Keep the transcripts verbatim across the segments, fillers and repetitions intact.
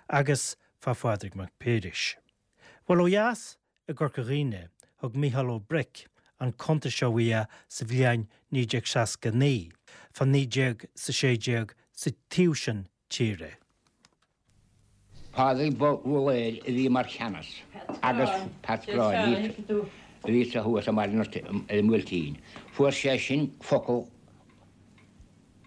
agus fá Phádraig Mac Piarais. Bhuel ó dheas i gCorca Dhuibhne thug Mícheál Ó Bric an cuntas seo uaidh sa bhliain naoi déag seasca naoi, fá naoi déag is a sé déag sa taobh sin tíre. Pádraig Bhulair a bhí mar cheannas agus Pat Gráinne a bhí sa thuas ar an mBuailtín. Fuair sé sin focal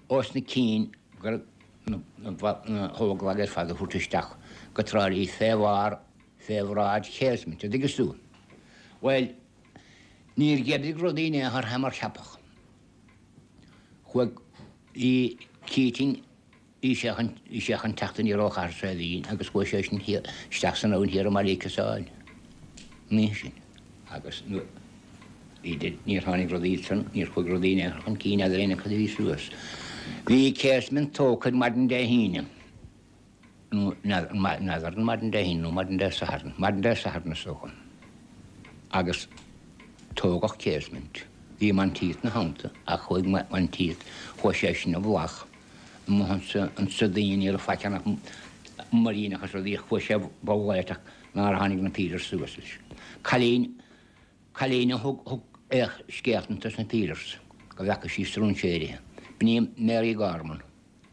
os na cinn gur na hÓglaigh ar fad a thabhairt isteach go Trá Lí fé bharr fé bhráid Casement, an dtuigeann tú. Bhuel, níor dh'oibrigh rudaí in aon chor fé mar ceapadh. Chuaigh bhí Keating bhí sé chun bhí sé chun teacht aniar ó Chathair Saidhbhín agus chuaigh sé sin isteach san abhainn thiar i mBaile Casáin an oíche sin agus bhí níor tháinig rudaí san níor chuaigh rudaí in aon chor chun cinn eadar aon cad a bhí suas. Bhí Casement tógtha maidin Dé hAoine. nó n'fheadar an maidin Dé hAoine nó maidin Dé Sathairn, maidin Dé Sathairn is dócha. Agus tógadh Casement. Bhí Monteith ina theannta ach chuaigh Monteith, chuaigh sé sin i bhfolach amuigh ansa ansa daoine ní raibh faic ann ach muiríneach is rudaí chuaigh sé bhfolach ach nár tháinig na pílears suas leis. Cailín, cailín a thug thug scéalta sna pílears go bhfeaca sí stróinséirithe. B'in í Mary Gorman.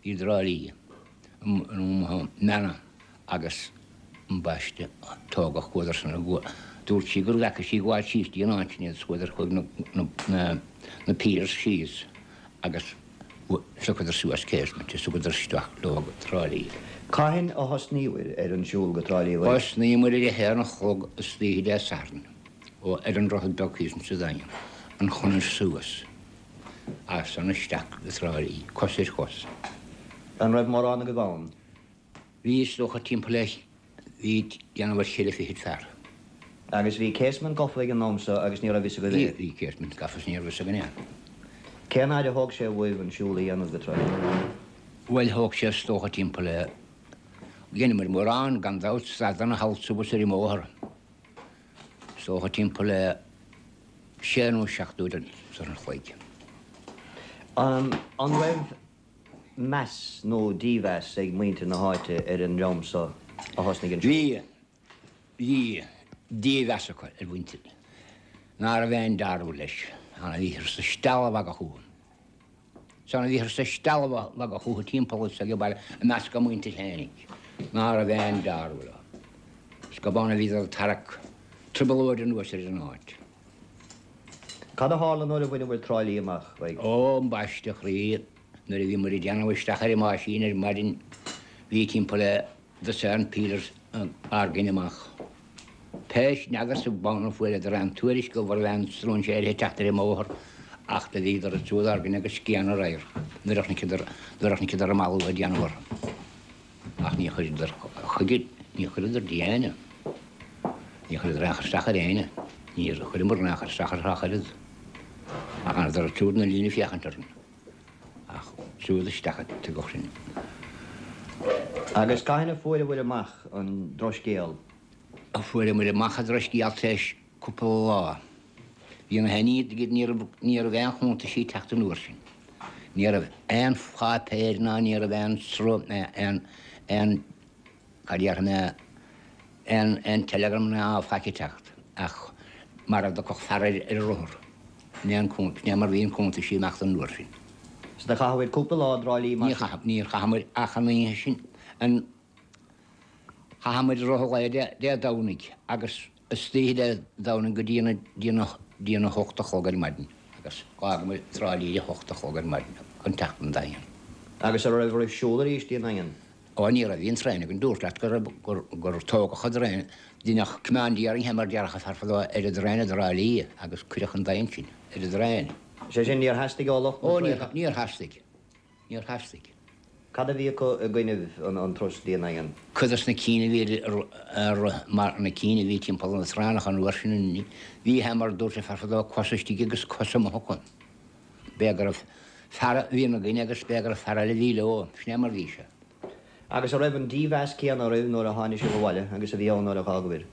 I dTrá Lí, mBeanna agus ambaiste tógadh chuadar san dúirt sí gur bhfeaca sí gabháil síos dtí an áit sin iad is chuadar chuig na na pílears síos agus phiocadar suas Casement is thugadar isteach leo go Trá Lí. Cathain a thosnaíobhair ar an siúl go Trá Lí? Thosnaíomar ar a haon a chlog istoíche Dé Sathairn ó ar an Droichead Beag thíos insa Daingean, an chonair suas. As san isteach go Trá Lí, cos ar chos. An raibh mórán agaibh ann? Bhí, is dócha, timpeall le, bhí déanamh ar cheithre fichid fear. Agus bhí Casement gafa ag an am so agus ní raibh fhios agaibh é? Bhí, bhí Casement gafa is ní raibh fhios againn é. Cén fhaid a thóg sé uaibh an siúl a dhéanamh go Trá Lí? Bhuel, thóg sé is dócha timpeall le, dheineamair mórán, gan dabht, stadanna thall suas ar an mbóthar. Is dócha timpeall le sé nó seacht uair an chloig. An raibh meas nó dímheas ag muintir na háite ar an dream so a thosnaigh an siúl? Bhí. Bhí dímheas acu ar mhuintir ná raibh aon dealramh leis. Bhíothar sa stealladh magaidh fúthu. San bhíothar sa stealladh magaidh fúthu timpeall is ag baile i measc a muintir fhéinig ná raibh aon dealramh leo. Is go b'ann a bhíodar ag tarrac trioblóid anuas ar an áit. Cad a tharla nuair a bhaineabhair Trá Lí amach? Ó, ambaiste a chroí, nuair a bhí muid ag déanamh isteach ar an meaisín ar maidin, bhí timpeall le dosaen pílears ár gcoinne amach. Pé, n'fheadarsa b'ann a fuaireadar aon tuairisc go raibh aon stróinséirithe ag teacht ar an mbóthar ach do bhíodar ag siúl ár gcoinne agus scian ar radharc nuair a chonaiceadar, nuair a chonaiceadar an malú ag déanamh orthu. Ach ní chuireadar chuige, ní chuireadar de éinne. Ní chuireadar aon chur isteach ar éinne. Níor chuireamar aon chur isteach orthu ach oiread. Ach d'fhanadar siúd ina líne ag féachaint orainn. Ach siúd isteach a tugadh sinn. Agus cathain a fuaireabhair amach an drochscéal? Fuaireamar amach an drochscéal tar éis cúpla lá. Bhí na héinne, ní raibh, ní raibh aon chuntaisí ag teacht an uair sin. Ní raibh aon pháipéir ná ní raibh aon sruth, aon, aon, cad déarfaidh mé, aon, aon telegram ná faic ag teacht ach mar a dtiocfadh fear ar, ar a rothar. In aon cuntas, ní mar bhí an cuntaisí amach don uair sin. So do chaitheabhair cúpla lá i dTrá Lí mar Ní chaith, níor chaitheamair ach an oíche sin, an, chaitheamair i rith an lae Dé, Dé Domhnaigh agus istoíche Dé Domhnaigh go dtí an, dtí an, dtí an a hocht a chlog ar maidin agus d'fhágamair Trá Lí ar a hocht a chlog ar maidin chun teacht 'on Daingean. Agus an raibh oraibh siúl arís dtí an Daingean? Ó ní raibh, bhí an traein againn, dúrt leat go raibh, gur, gur tógadh an traein, deineadh commandeering mar déarfadh an fear fadó ar an dtraein i dTrá Lí agus cuireadh 'on Daingean sinn ar an dtraein. Sé sin, níor theastaigh ó lucht na Ó níor, níor theastaigh. Níor theastaigh. Cad a bhí acu i gcoinnibh an turas dtí an Daingean? Cuid dos na cinn a bhí ar mar na cinn a bhí timpeall na traenach an uair sin, bhí é mar dúirt an fear fadó, cos istigh agus cos amuigh acu. B'é go raibh fear a bhí ina gcoinne agus b'é go raibh fear eile a bhí leo. Sin é mar a bhí sé. Agus an raibh an dímheas céanna oraibh nuair a tháinig sibh abhaile agus a bhí ann nuair a dh'fhágabhair?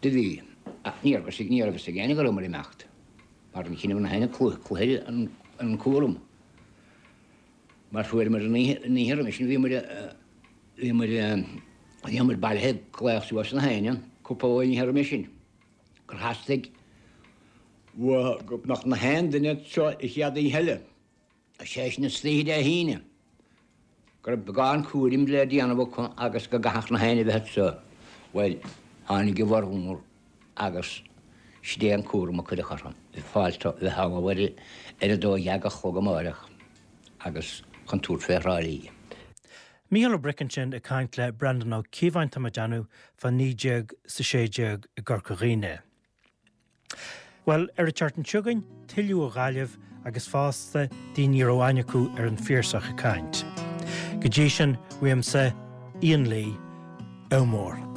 Do bhí. Ach ní raibh a fhios ag éinne go rabhamar ag imeacht. Mar ní chinneadh na héinne cluiche an cúram. Mar fuaireamar an oíche roimhe sin, bhíomar, bhíomar Bhí muid bailithe ag glaoch suas na héinne, cúpla uair roimhe sin, gur theastaigh uathu go mbeadh na haon duine anseo an chéad oíche eile, sé sin istoíche Dé hAoine, go raibh beagán cúraim le déanamh acu agus go gcaithfeadh na héinne bheith anseo. Bhuel, tháinig a bhformhór agus sin é an cúram a cuireadh orthu, fáilte bheith ullamh ar a dó dhéag a chlog amáireach agus chun tabhairt fé Thrá Lí. Mícheál Ó Bric ansin ag caint le Breandán Ó Cíobháin tá mé ag déanamh fá naoi déag 's a sé déag i gCorca Dhuibhne. Bhuel, ar an tseachtain seo chugainn, tuilleadh ó Ghaillimh agus fosta daoine a raibh aithne acu ar an Phiarsach ag caint. Go dtí sin, uaimse, Ian Lee, ádh mór.